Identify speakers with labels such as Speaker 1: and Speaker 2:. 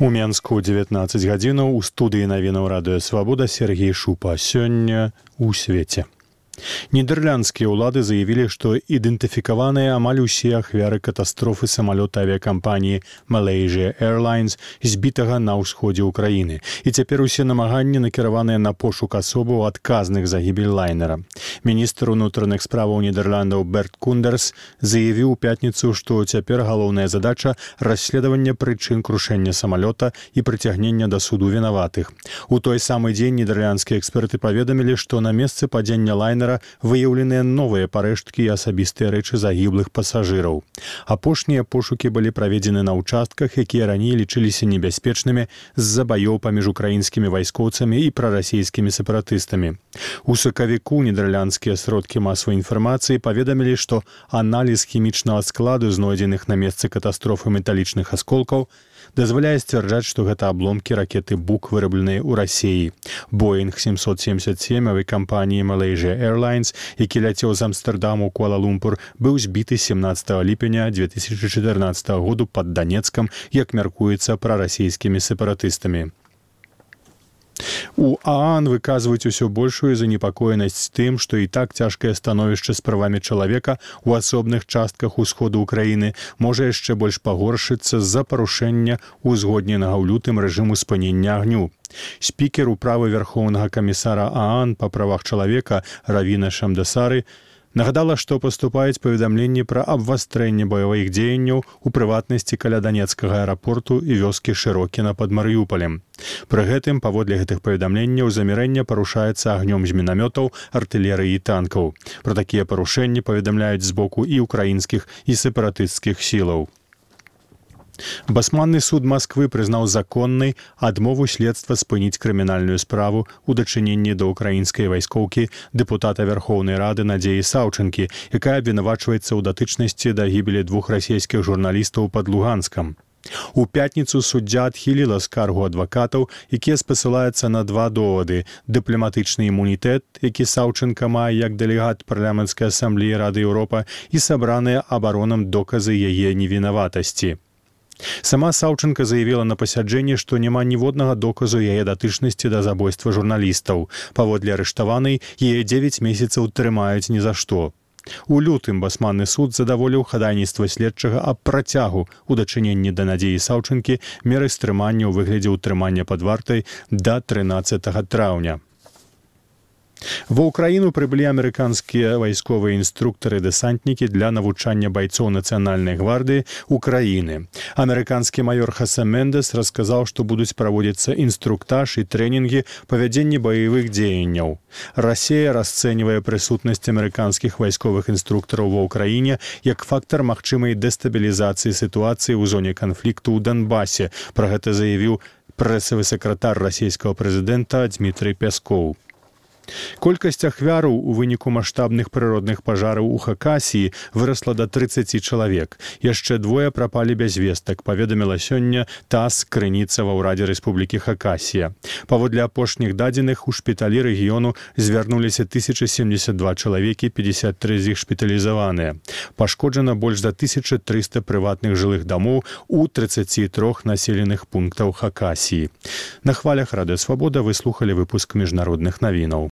Speaker 1: У Менску 19 гадзінаў у студыі навінаў радыё «Свабода» Сергей Шупа. Сёння у свеце. Нідерландскія ўлады заявілі, што ідэнтыфікаваныя амаль усе ахвяры катастрофы самалёта авіякампаніі Malaysia Airlines, збітага на ўсходзе ўкраіны. І цяпер усе намаганні накіраваныя на пошук асобаў адказных за гібель лайнера. Міністр унутраных справаў Нідерландаў Берт Кундерс заявіў у пятніцу, што цяпер галоўная задача расследавання прычын крушэння самалёта і прыцягнення да суду вінаватых. У той самы дзень нідерландскія эксперты паведамілі, што на месцы падзення лайнера выяўленыя новыя парэшткі і асабістыя рэчы загіблых пасажыраў. Апошнія пошукі былі праведзены на ўчастках, якія раней лічыліся небяспечнымі з-за баёў паміж украінскімі вайскоўцамі і прарасійскімі сепаратыстамі. У сакавіку нідерландскія сродкі масавай інфармацыі паведамілі, што аналіз хімічнага складу знойдзеных на месцы катастрофы металічных асколкаў дазваляе сцвярджаць, што гэта абломкі ракеты «Бук», вырабленыя ў Расіі. Боинг 777 авіякампаніі Malaysia Airlines, які ляцеў з Амстэрдаму ў Куала-Лумпур, быў збіты 17 ліпеня 2014 году пад Данецкам, як мяркуецца прарасійскімі сепаратыстамі. У ААН выказваюць усё большую занепакоенасць тым, што і так цяжкае становішча з правамі чалавека ў асобных частках усходу ўкраіны можа яшчэ больш пагоршыцца з-за парушэння узгодненага ў лютым рэжыму спынення агню. Спікер управы Вярхоўнага камісара ААН па правах чалавека Равіна Шамдасары нагадала, што паступаюць паведамленні пра абвастрэнне баявых дзеянняў у прыватнасці каля данецкага аэрапорту і вёскі Шырокіна пад Марыюполем. Пры гэтым, паводле гэтых паведамленняў, замірэнне парушаецца агнём з мінамётаў, артылерыі і танкаў. Пра такія парушэнні паведамляюць з боку і ўкраінскіх, і сепаратысцкіх сілаў. Басманны суд Масквы прызнаў законнай адмову следства спыніць крымінальную справу ў дачыненні да ўкраінскай вайскоўкі дэпутата Вярхоўнай Рады Надзеі Саўчынкі, якая абвінавачваецца ў датычнасці да гібелі 2 расійскіх журналістаў пад Луганскам. У пятніцу суддзя адхіліла скаргу адвакатаў, якія спасылаюцца на 2 довады: дыпламатычны імунітэт, які Саўчынка мае як дэлегат парламенцкай асамблеі Рады Еўропа, і сабраныя абаронам доказы яе невінаватасці. Сама Саўчынка заявіла на пасяджэнні, што няма ніводнага доказу яе датычнасці да забойства журналістаў. Паводле арыштаванай, яе 9 месяцаў трымаюць ні за што. У лютым басманны суд задаволіў хадайніцтва следчага аб працягу ў дачыненні да Надзеі Саўчынкі меры стрымання ў выглядзе ўтрымання пад вартай да 13 траўня. Ва ўкраіну прыбылі амерыканскія вайсковыя інструктары-дэсантнікі для навучання байцоў Нацыянальнай гвардыі Украіны. Амерыканскі маёр Хосе Мендес расказаў, што будуць праводзіцца інструктаж і трэнінгі па вядзенні баявых дзеянняў. Расія расцэньвае прысутнасць амерыканскіх вайсковых інструктараў ва ўкраіне як фактар магчымай дэстабілізацыі сітуацыі ў зоне канфлікту ў Донбасе. Пра гэта заявіў прэсавы сакратар расійскага прэзідэнта Дмітрый Пяскоў. Колькасць ахвяраў у выніку маштабных прыродных пажараў у Хакасіі вырасла да 30 чалавек. Яшчэ 2 прапалі без вестак, паведаміла сёння ТАСС, крыніца ва ўрадзе Рэспублікі Хакасія. Паводле апошніх дадзеных, у шпіталі рэгіёну звярнуліся 1072 чалавекі, 53 з іх шпіталізаваныя. Пашкоджана больш за 1300 прыватных жылых дамоў у 33 населеных пунктаў Хакасіі. На хвалях Радыё Свабода вы слухалі выпуск міжнародных навінаў.